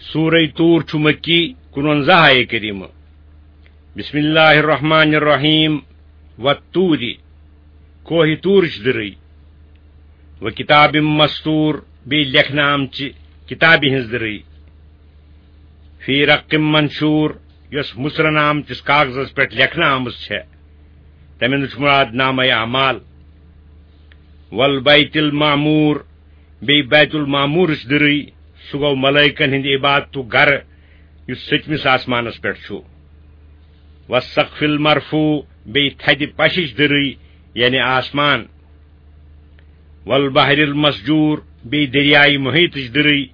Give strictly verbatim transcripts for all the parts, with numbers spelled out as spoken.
سورہ طور چھُ مکی، کُنوَنزاہ آیہ کریمہ۔ بسم اللہ الرحمن الرحیم۔ والطور، کوہ طورٕچ دٕرٕے۔ وکتاب مسطور، بیٚیہِ لیکھنہٕ آمژِ کتابہِ ہٕنٛز دٕرٕے۔ فی رق منشور، یۄس مُژرن آمتِس کاغذس پٮ۪ٹھ لیکھنہٕ آمٕژ چھےٚ، تمہِ نِش مراد نامہ اعمال۔ والبیت المعمور، بیٚیہِ بیت المعمورٕچ دٕرٕے، سُہ گوٚو ملائکن ہٕنٛدِ عبادتُک گرٕ، یُس سٔتمِس آسمانس پٮ۪ٹھ چھُ۔ والسقف المرفوع، بیٚیہِ تھدِ پشِچ دٕرٕے، یعنی آسمان۔ والبحر المسجور، بیٚیہِ دریائے محیطٕچ دٕرٕے،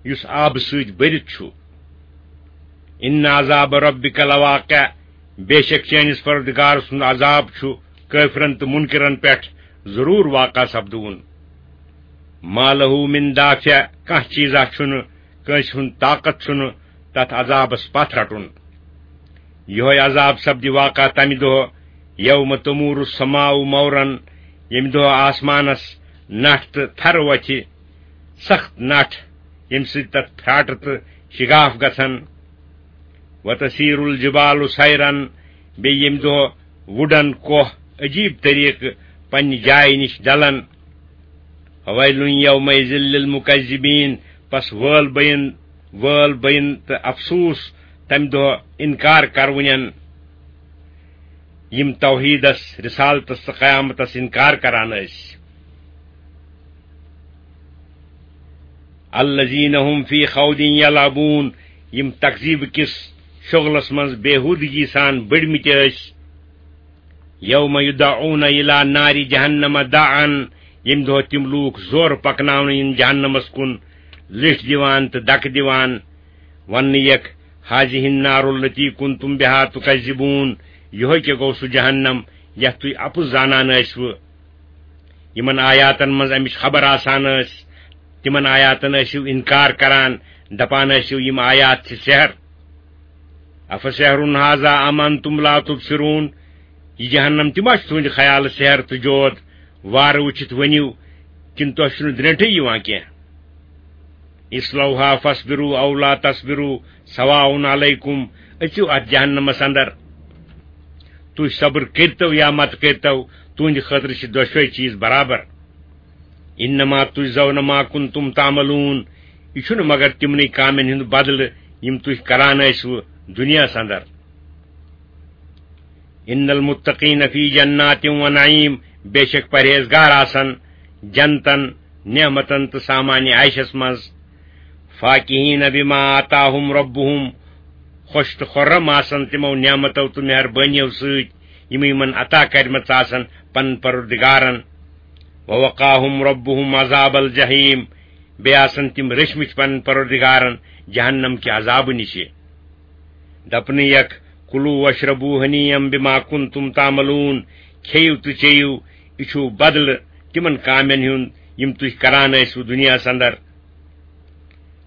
یُس آبہٕ سۭتۍ بٔرِتھ چھُ۔ ان عذاب ربک لواقع، بے شک چٲنِس پروردگار سُنٛد عذاب چھُ کٲفرن تہٕ منکرن پٮ۪ٹھ ضروٗر واقع سپدوُن۔ ما لہ من دافع، کانٛہہ چیٖزا چھُنہٕ، کٲنٛسہِ ہُنٛد طاقت چھُنہٕ تتھ عذابس پتھ رٹُن۔ یِہوے عذاب سپدِ واقع تمہِ دۄہ، یوم تمور السماء مورا، ییٚمہِ دۄہ آسمانس نٹھ تہٕ تھرٕ وۄتھِ، سخت نٹھ، ییٚمہِ سۭتۍ تتھ پھراٹہٕ تہٕ شگاف گژھن۔ وتسیر الجبال سیرا، بیٚیہِ ییٚمہِ دۄہ وُڈن کوہ عجیب طریقہٕ پننہِ جایہِ نِش ڈلن۔ فویل یومئذ للمکذبین، پس وٲل بین، وٲل بین تہٕ افسوس تمہِ دۄہ انکار کرونٮ۪ن، یِم توحیدس، رسالتس تہٕ قیامتس انکار کران ٲسۍ۔ الذین هم فی خوض یلعبون، یِم تکذیب کِس شغلس منٛز بیہودگی سان بٔڑمٕتۍ ٲسۍ۔ یوم یدعون الی نار جہنم دعا، ییٚمہِ دۄہ تِم لوٗکھ زورٕ پکناونہٕ یِن جہنمس کُن، لِٹھۍ دِوان تہٕ دکہٕ دِوان، وننہٕ یکھ، هذه النار التي كنتم بها تكذبون، یِہوے کیٛاہ گوٚو سُہ جہنم یتھ تُہۍ اپُز زانان ٲسوٕ؟ یِمن آیاتن منٛز امِچ خبر آسان ٲس، تِمن آیاتن ٲسِو انکار کران، دپان ٲسِو، یِم آیات چھِ سحر۔ افسحر هذا ام انتم لا تبصرون، یہِ جہنم تہِ ما چھُ تُہنٛدِ خیالہٕ سحر تہٕ جود؟ وارٕ وٕچھِتھ ؤنِو، کِنہٕ تۄہہِ چھُنہٕ درٛٮ۪نٛٹھٕے یِوان کینٛہہ؟ اصلوها فاصبروا او لا تصبروا سواء علیکم، أژِو اتھ جہنمس اندر، تُہۍ صبر کٔرتو یا مت کٔرتو، تُہنٛدِ خٲطرٕ چھِ دۄشوے چیٖز برابر۔ انما تجزون ما کنتم تعملون، یہِ چھُنہٕ مگر تِمنٕے کامٮ۪ن ہُنٛد بدلہٕ یِم تُہۍ کران ٲسوٕ دُنیاہس اندر۔ ان المتقین فی جنات و نعیم، بے شک پرہیزگار آسن جنتن، نعمتن تہٕ سامان عیشس منٛز۔ فاکہین بما آتاہم ربہم، خۄش تہٕ خُرم آسن تِمو نعمتو تہٕ مہربٲنیو سۭتۍ یِم یِمن عطا کرِمژٕ آسن پنن پروردگارن۔ ووقاہم ربہم عذاب الجحیم، بیٚیہِ آسن تِم رٔچھمٕتۍ پنن پروردگارن جہنم کہِ عذابہٕ نِشہِ۔ دپنہٕ یکھ، کلوا واشربوا ہنیئا بما کنتم تعملون، کھیٚیِو تہٕ چیٚیِو، یہِ چھُ بدلہٕ تِمن کامٮ۪ن ہُنٛد یِم تُہۍ کران ٲسِو دُنیاہس اندر۔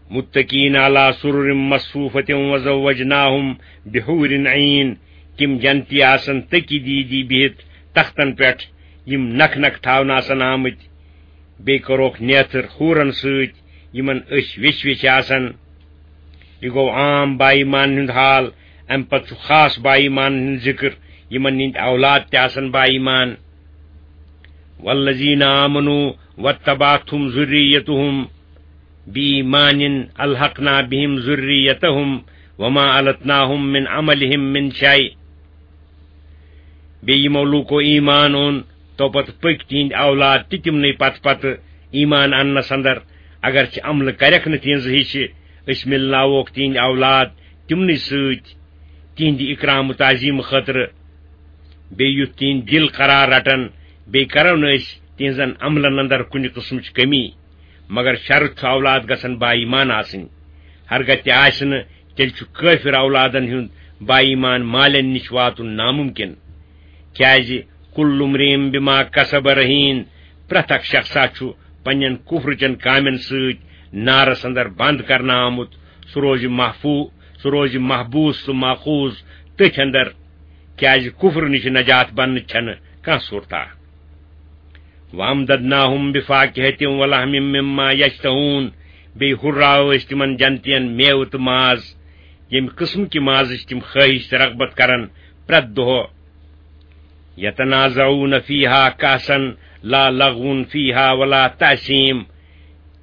متکئین علی سرر مصفوفۃ وزوجناہم بحور عین، تِم جنتی آسن تٔکی دیٖدی بِہِتھ تختن پٮ۪ٹھ، یِم نکھ نکھ تھاونہٕ آسن آمٕتۍ۔ بیٚیہِ کوٚرُکھ نیتھر حورن سۭتۍ، یِمن أچھ ویچھِ ویچھِ آسن۔ یہِ گوٚو عام با ایمانن ہُنٛد حال۔ امہِ پتہٕ چھُ خاص با ایمانن ہُنٛد ذکر، یِمن ہٕنٛدۍ اولاد تہِ آسن با ایمان۔ والذین آمنوا واتبعتهم ذریتهم بإیمان الحقنا بهم ذریتهم وما ألتناهم من عملهم من شیء۔ بیٚیہِ یِمو لوٗکو ایمان اوٚن، تو پتہٕ پٔکۍ تِہنٛدۍ اولاد تہِ تِمنٕے پتہٕ پتہٕ ایمان اننس اندر، اگرچہِ عملہٕ کرٮ۪کھ نہٕ تِہنٛزٕ ہِشہِ، أسۍ مِلناووکھ تِہنٛدۍ اولاد تِمنٕے سۭتۍ تِہنٛدِ اکرام و تعظیم خٲطرٕ۔ بیٚیہِ یُتھ تِہنٛدۍ دِل قرار رٹن، بیٚیہِ کرو نہٕ أسۍ تِہنٛزن عملن اندر کُنہِ قٕسمٕچ کمی۔ مگر شرط چھُ اولاد گژھن با ایمان آسٕنۍ۔ ہرگاہ تہِ آسہِ نہٕ، تیٚلہِ چھُ کٲفر اولادن ہُنٛد با ایمان مالٮ۪ن نِش واتُن ناممکن۔ کیازِ کل امرئ بما کسب رہین، پرٛٮ۪تھ اکھ شخصا چھُ پننٮ۪ن کفرٕچٮ۪ن کامٮ۪ن سۭتۍ نارس اندر بند کرنہٕ آمُت۔ سُہ روزِ محفوٗ سُہ روزِ محبوس تہٕ ماخوذ تٔتھۍ اندر، کیازِ کفر نِش نجات بننٕچ چھنہٕ کانٛہہ صورتا۔ وامددناہم بفاکہۃ ولحم مما یشتہون، بیٚیہِ ہُرراوو أسۍ تِمن جنتین میوٕ تہٕ ماز، ییٚمہِ قٕسمہٕ کہِ مازٕچ تِم خٲہِش تہٕ رغبت کرن پرٛٮ۪تھ دۄہ۔ یتنازعون فیہا کأسا لا لغو فیہا ولا تأثیم۔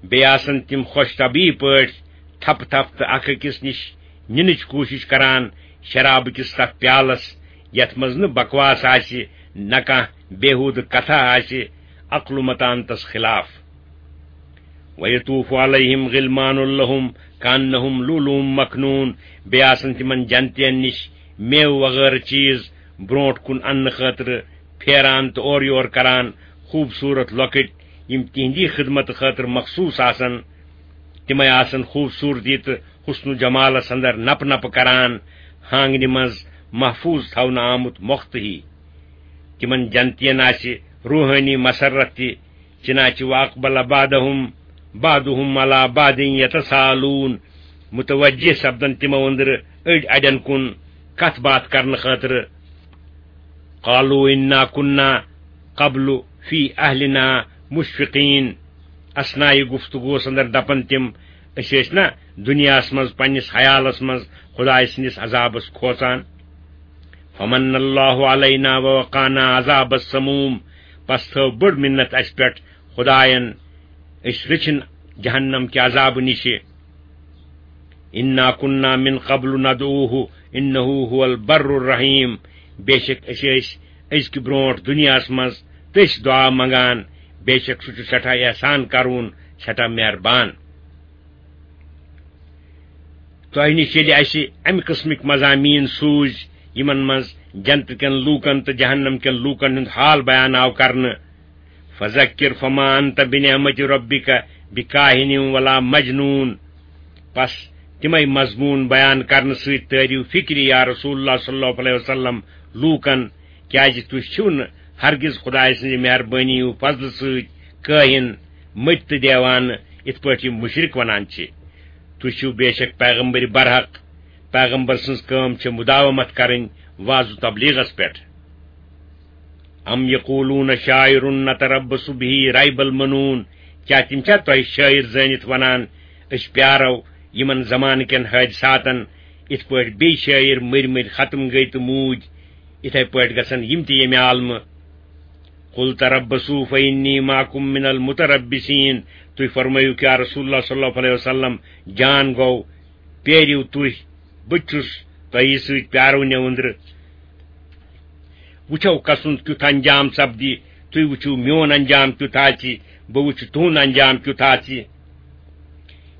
بیٚیہِ آسن تِم خۄش طبعی پٲٹھۍ تھپہٕ تھپہٕ تہٕ اکھ أکِس نِش نِنٕچ کوٗشِش کران شرابہٕ کِس تتھ پیالس، یتھ منٛز نہٕ بکواس آسہِ، نہ کانٛہہ بیہودٕ کتھا آسہِ، عقل و متانتس خلاف۔ وَيَطُوفُ عَلَيْهِمْ غِلْمَانٌ لَهُمْ كَأَنَّهُمْ لُؤْلُؤٌ مَكْنُونٌ۔ بیٚیہِ آسن تِمن جنتین نِش میوٕ وغٲرٕ چیٖز برونٛٹھ کُن اننہٕ خٲطرٕ پھیران تہٕ اورٕ یور کران، خوٗبصوٗرت لۄکٕٹۍ، یِم تِہنٛدی خدمت خٲطرٕ مخصوٗص آسن۔ تِمے آسن خوٗبصوٗرتی تہٕ حسن و جمالس اندر نپہٕ نپہٕ کران، ہانگنہِ منٛز محفوٗظ تھاونہٕ آمُت مۄختہٕ ہی۔ تِمن جنتین آسہِ روحٲنی مسرت تہِ، چنانچہ وَأَقْبَلَ بَعْضُهُمْ بَعْضُهُمْ عَلَى بَعْضٍ يَتَسَاءَلُونَ، متوجہ سپدن تِمو أنٛدرٕ أڑۍ اڑٮ۪ن کُن کتھ باتھ کرنہٕ خٲطرٕ۔ قَالُوا إِنَّا كُنَّا قَبْلُ فِي أَهْلِنَا مُشْفِقِينَ۔ اثناء گفتگوس اندر دپن تِم، أسۍ ٲسۍ نا دُنیاہس منٛز پننِس حیالس منٛز خدایہِ سٕنٛدِس عذابس کھوژان۔ فَمَنَّ اللَّهُ عَلَيْنَا وَوَقَانَا عَذَابَ السَّمُومِ۔ پس تھٲو بٔڑ مِنت اسہِ پٮ۪ٹھ خداین، أسۍ رٔچھِن جہنم کہِ عذابہٕ نِشہِ۔ إِنَّا كُنَّا مِن قَبْلُ نَدْعُوهُ إِنَّهُ هُوَ الْبَرُّ الرَّحِيمُ۔ بے شک أسۍ ٲسۍ أزکہِ برونٛٹھ دُنیاہس منٛز تٔسۍ دُعا منٛگان، بے شک سُہ چھُ سٮ۪ٹھاہ احسان کرون، سٮ۪ٹھاہ مہربان۔ تۄہہِ نِش ییٚلہِ اَسہِ اَمہِ قٕسمٕکۍ مضامین سوٗزۍ، یِمن منٛز جنتہٕ کٮ۪ن لوٗکن تہٕ جہنم کٮ۪ن لوٗکن ہُنٛد حال بیان آو کرنہٕ، فذکر فما انت بنعمت ربک بکاہن ولا مجنون۔ پس تِمے مضموٗن بیان کرنہٕ سۭتۍ تٲرِو فکرِ یا رسول اللہ صلی اللہ علیہ وسلم لوٗکن، کیازِ تُہۍ چھِو نہٕ ہرگز خدایہِ سٕنٛزِ مہربٲنی و فضلہٕ سۭتۍ کٲہِن، مٔتۍ تہٕ دیوانہٕ، یِتھ پٲٹھۍ یِم مُشرِک ونان چھِ۔ تُہۍ چھِو بے شک پیغمبر برحق۔ پیغمبر سٕنٛز کٲم چھِ مداومت کرٕنۍ وعظ و تبلیغس پٮ۪ٹھ۔ ام یقولون شاعر نتربص به ریب المنون، کیا تِم چھا تۄہہِ شٲعر زٲنِتھ ونان، أسۍ پیارو یِمن زمانہٕ کٮ۪ن حٲدثاتن، یِتھ پٲٹھۍ بیٚیہِ شٲعر مٔرۍ مٔرۍ ختم گٔے تہٕ موٗدۍ، یِتھے پٲٹھۍ گژھن یِم تہِ ییٚمہِ عالمہٕ؟ قل تربصوا فإني معكم من المتربصين۔ تُہۍ فرمٲیِو کیا رسول اللہ صلی اللہ علیہ وسلم، جان گوٚو، پیٲرِو تُہۍ، بہٕ تہِ چھُس تۄہہِ سۭتۍ پیارو نٮ۪و أنٛدرٕ۔ وٕچھو کسُنٛد کیُتھ انجام سپدِ، تُہۍ وٕچھِو میون انجام کیُتھ آسہِ، بہٕ وٕچھِ تُہُنٛد انجام کیُتھ آسہِ۔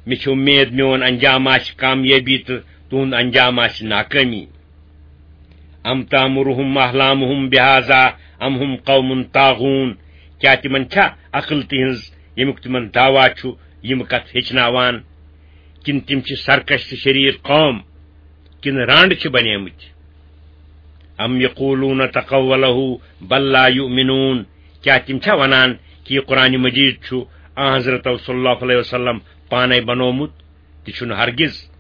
مےٚ چھِ اُمید میون انجام آسہِ کامیٲبی تہٕ تُہُنٛد انجام آسہِ ناکٲمی۔ ام تامرہم احلامہم بہذا ام ہم قوم طاغون، کیا تِمن چھا عقل تِہنٛز، ییٚمیُک تِمن دعویٰ چھُ، یِم کتھ ہیٚچھناوان؟ کِنہٕ تِم چھِ سرکش تہٕ شریر قوم؟ کِنہٕ رانڈ چھِ بنیمٕتۍ؟ ام یقولون تقولہ بل لا یؤمنون، کیا تِم چھا ونان کہِ یہِ قرآن مجید چھُ آن حضرت صلی اللہ علیہ وسلم پانے بنومُت؟ تہِ چھُنہٕ ہرگز،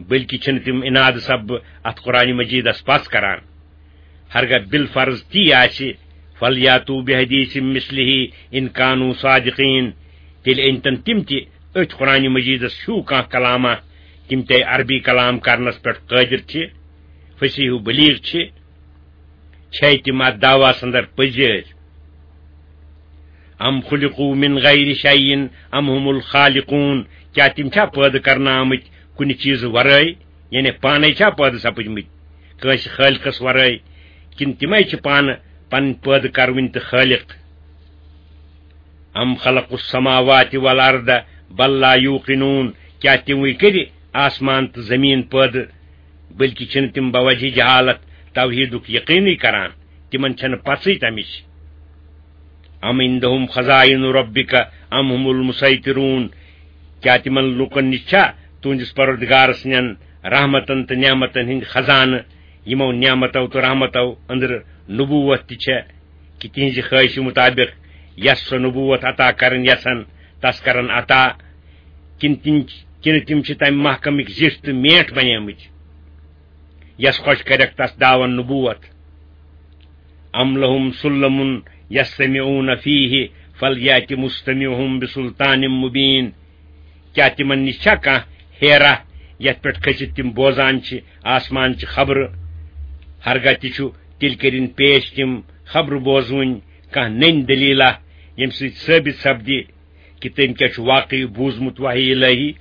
بلکہِ چھِنہٕ تِم اناد سببہٕ اتھ قرآن مجیدس پژھ کران۔ ہرگاہ بالفرض تی آسہِ، فلیاتوا بحدیث مثلہ ان کانوا صادقین، تیٚلہِ أنۍتن تِم تہِ أتھۍ قرآن مجیدس ہیوٗ کانٛہہ کلامہ، تِم تہِ عربی کلام کرنس پٮ۪ٹھ قٲدر چھِ، فصیح و بلیغ چھِ۔ چھے تِم اتھ دعویٰ اندر پٔزۍ؟ ام خلقوا من غیر شیء ام هم الخالقون، کیا تِم چھا پٲدٕ کرنہٕ آمٕتۍ کُنہِ چیٖزٕ ورٲے، یعنی پانے چھا پٲدٕ سپٕدمٕتۍ کٲنٛسہِ خٲلقس ورٲے، کِنہٕ تِمے چھِ پانہٕ پنٕنۍ پٲدٕ کرونۍ تہٕ خٲلق؟ ام خلقوا السماوات والارض بل لا یوقنون، کیا تِموٕے کٔرِ آسمان تہٕ زمیٖن پٲدٕ، بلکہِ چھِنہٕ تِم بوجہ جہالت توحیدُک یقینٕے کران، تِمن چھنہٕ پژھٕے تمِچ؟ ام عندهم خزائن ربک ام هم المسیطرون، کیا تِمن لوٗکن نِش چھا تُہنٛدِس پروردگار سٕنٛدٮ۪ن رحمتن تہٕ نعمتن ہٕنٛدۍ خزانہٕ، یِمو نعمتو تہٕ رحمتو أنٛدرٕ نبوت تہِ چھےٚ، کہِ تِہنٛزِ خٲہشہِ مُطابق یس سۄ نبوت عطا کرٕنۍ یژھن، تس کرن عطا، کِنہٕ تِم، کِنہٕ تِم چھِ تمہِ محکمٕکۍ زِٹھۍ تہٕ میٹھۍ بنیمٕتۍ، یس خۄش کرٮ۪کھ تس داون نبوت؟ ام لهم سلم یستمعون فیہ فلیأت مستمعهم بسلطان مبین، کیٛاہ تِمن نِش چھا کانٛہہ ہیرا، یتھ پٮ۪ٹھ کھٔسِتھ تِم بوزان چھِ آسمان چہِ خبرٕ؟ ہرگاہ تہِ چھُ تیٚلہِ کٔرِن پیش تِم خبرٕ بوزوٕنۍ کانٛہہ نٔنۍ دٔلیٖلہ، ییٚمہِ سۭتۍ ثٲبت سپدِ کہِ تٔمۍ کیٛاہ چھُ واقعی بوٗزمُت وحی الہی۔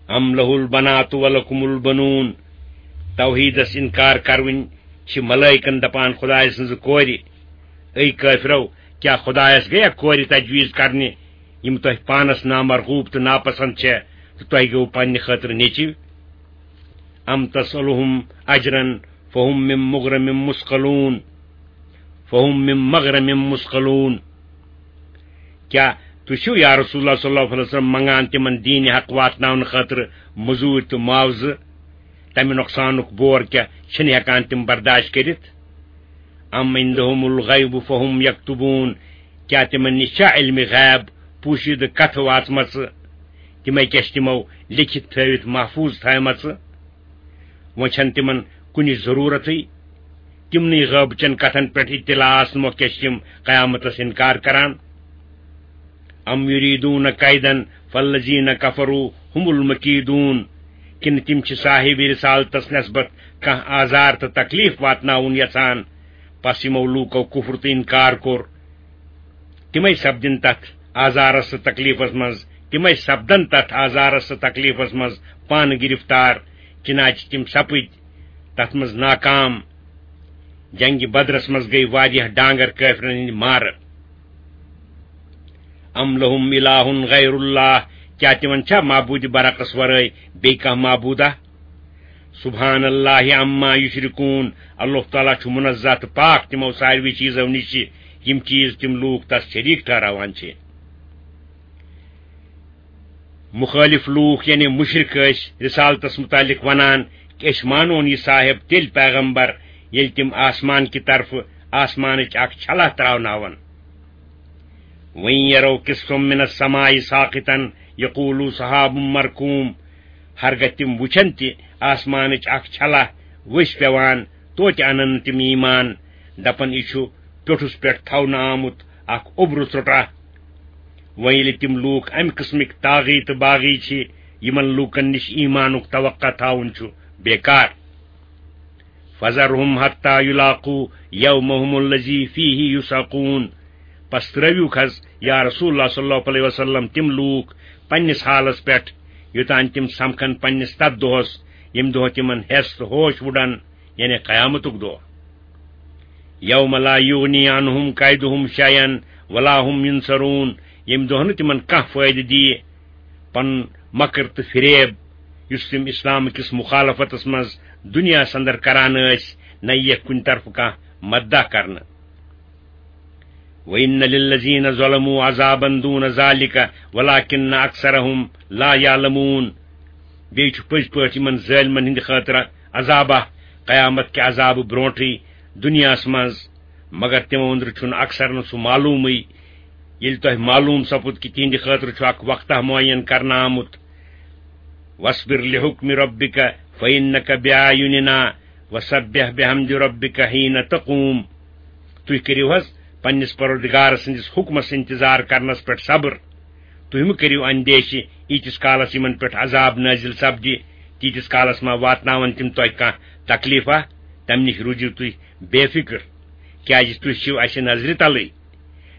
ام لہ البنات و لکم البنون، توحیدس انکار کرٕنۍ چھِ ملائکن دپان خدایہِ سٕنزٕ کورِ۔ اے کٲفرو، کیا خدایس گٔیا کورِ تجویز کرنہِ، یِم تۄہہِ پانس نامرغوب تہٕ ناپسند چھےٚ، تہٕ تۄہہِ گوٚو پننہِ خٲطرٕ نیٚچِو؟ ام تسألہم اجرا فہم من مغرم مثقلون، فہم من مغرم مثقلون۔ کیا تُہۍ چھِو یا رسول اللہ صلی اللہ علیہ وسلم منگان تِمن دین حق واتناونہٕ خٲطرٕ مزوٗرۍ تہٕ معاوضہٕ؟ تمہِ نۄقصانُک بور کیا چھِنہٕ ہٮ۪کان تِم برداشت کٔرِتھ؟ ام عندہم الغیب فہم یکتبون، کیا تِمن نِش چھا علمِ غیب، پوشیدٕ کتھٕ واژمژٕ؟ تِمے کیا چھِ تِمو لیکھِتھ تھٲوِتھ محفوظ تھٲومژٕ؟ وۄنۍ چھَنہٕ تِمن کُنِچ ضروٗرتٕے۔ تِمنٕے غٲبچن کتھن پٮ۪ٹھ اطلاع آسنہٕ مۄکھ کیٛاہ چھِ تِم قیامتس انکار کران؟ ام یریدون کیدن فالذین کفروا هم المکیدون، کِنہٕ تِم چھِ صاحب رسالتس نسبت کانٛہہ آزار تہٕ تکلیف واتناوُن یژھان؟ پس یِمو لوٗکو کفر تہٕ انکار کوٚر، تِمے سپدن تتھ آزارس تہٕ تکلیفس منٛز، تِمے سپدن تتھ آزارس تہٕ تکلیفس منٛز پانہٕ گرفتار، چنانچہ تِم سپٕدۍ تتھ منٛز ناکام۔ جنگِ بدرس منٛز گٔے واریاہ ڈانگر کٲفرن ہٕنٛدۍ مارٕ۔ ام لہم الہ غیر اللہ، کیا تِمن چھا معبود برحقس ورٲے بیٚیہِ کانٛہہ معبودہ؟ سبحان اللہ عما یشرکون، اللہ تعالیٰ چھُ منزہ تہٕ پاک تِمو ساروی چیٖزو نِش، یِم چیٖز تِم لوٗکھ تس شریٖک ٹھہراوان چھِ۔ مخٲلف لوٗکھ یعنی مشرک ٲسۍ رسالتس متعلق ونان کہ أسۍ مانون یہِ صاحب تیٚلہِ پیغمبر ییٚلہِ تِم آسمان کہِ طرفہٕ آسمانٕچ اکھ چھلہ تراوناون۔ وَإِن يَرَوْا كِسْفًا مِّنَ السَّمَاءِ سَاقِطًا يَقُولُوا سَحَابٌ مَّرْكُومٌ، ہرگاہ تِم وُچھن تہِ آسمانٕچ اکھ چھلہ ؤسۍ پٮ۪وان، توتہِ انن نہٕ تِم ایمان، دپن، یہِ چھُ پیوٚٹھُس پٮ۪ٹھ تھاونہٕ آمُت اکھ اوٚبرٕ ژوٚٹا۔ وۄنۍ ییٚلہِ تِم لوٗکھ امہِ قٕسمٕکۍ طاغی تہٕ باغی چھِ، یِمن لوٗکن نِش ایمانُک توقع تھاوُن چھُ بیکار۔ فذرهم حتى يلاقوا يومهم الذي فيه يصعقون۔ پس ترٲوِوکھ حض یا رسول اللہ صلی اللہ علیہ وسلم تِم لوٗکھ پننِس حالس پٮ۪ٹھ، یوٚتام تِم سمکھن پننِس تتھ دۄہس، ییٚمہِ دۄہ تِمن ہٮ۪س تہٕ ہوش وُڈن، یعنی قیامتُک دۄہ۔ یوم لا یغنی عنہم کیدہم شیئا ولا هم ینصرون، ییٚمہِ دۄہ نہٕ تِمن کانٛہہ فٲیدٕ دِیہِ۔ پنُن مکر تہٕ فریب، یُس تِم اسلام کِس مخالفتس منٛز دُنیاہس اندر کران ٲسۍ، نہ یِیَکھ کُنہِ طرفہٕ کانٛہہ مددہ کرنہٕ۔ وَإِنَّ لِلَّذِينَ ظَلَمُوا عَذَابًا دُونَ ذَلِكَ وَلَٰكِنَّ أَكْثَرَهُمْ لَا يَعْلَمُونَ۔ بیٚیہِ چھُ پٔزۍ پٲٹھۍ یِمن ظٲلمن ہٕنٛدِ خٲطرٕ عذابہ، قیامت کہِ عذابہٕ برونٹھٕے دُنیاہس منٛز، مگر تِمو أنٛدرٕ چھُنہٕ اکثرن سُہ معلومٕے۔ ییٚلہِ تۄہہِ معلوم سپُد کہِ تِہنٛدِ خٲطرٕ چھُ اکھ وقتہ معین کرنہٕ آمُت، وَاصْبِرْ لِحُكْمِ رَبِّكَ فَإِنَّكَ بِأَعْيُنِنَا وَسَبِّحْ بِحَمْدِ رَبِّكَ حِينَ تَقُومُ۔ تُہۍ کٔرِو حض پننِس پروردگار سٕنٛدِس حُکمس انتظار کرنس پٮ۪ٹھ صبر۔ تُہۍ مہٕ کٔرِو اندیشہِ ییٖتِس کالس یِمن پٮ۪ٹھ عذاب نٲزِل سپدِ، تیٖتِس کالس ما واتناون تِم تۄہہِ کانٛہہ تکلیفہ؟ تمہِ نِش روٗزِو تُہۍ بے فکر، کیازِ تُہۍ چھِو اسہِ نظرِ تلٕے،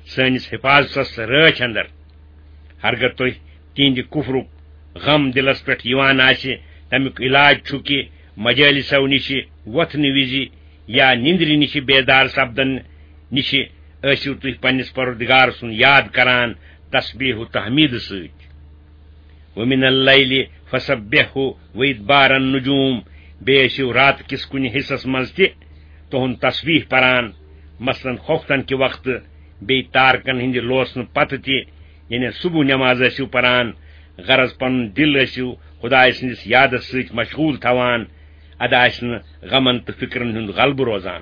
سٲنِس حفاظتس رٲچھ اندر۔ ہرگاہ تۄہہِ تِہنٛدِ کفرُک غم دِلس پٮ۪ٹھ یِوان آسہِ، تمیُک علاج چھُ کہِ مجٲلِسو نِشہِ وۄتھنہٕ وِزِ یا نِندرِ نِشہِ بیدار سپدن نِشہِ ٲسِو تُہۍ پننِس پروردگار سُنٛد یاد کران تسبیح و تحمید سۭتۍ۔ وَمِنَ اللَّيْلِ فَسَبِّحْهُ وَإِدْبَارَ النُّجُومِ، بیٚیہِ ٲسِو رات کِس کُنہِ حصس منٛز تہِ تُہُنٛد تسبیح پران، مثلاً خوفتن کہِ وقتہٕ، بیٚیہِ تارکن ہٕنٛدِ لوسنہٕ پتہٕ تہِ، یعنی صبح نماز ٲسِو پران، غرض پنُن دِل ٲسِو خدایہِ سٕنٛدِس یادس سۭتۍ مشغول تھاوان، اَدٕ آسہِ نہٕ غمن تہٕ فِکرن ہُنٛد غلبہٕ روزان۔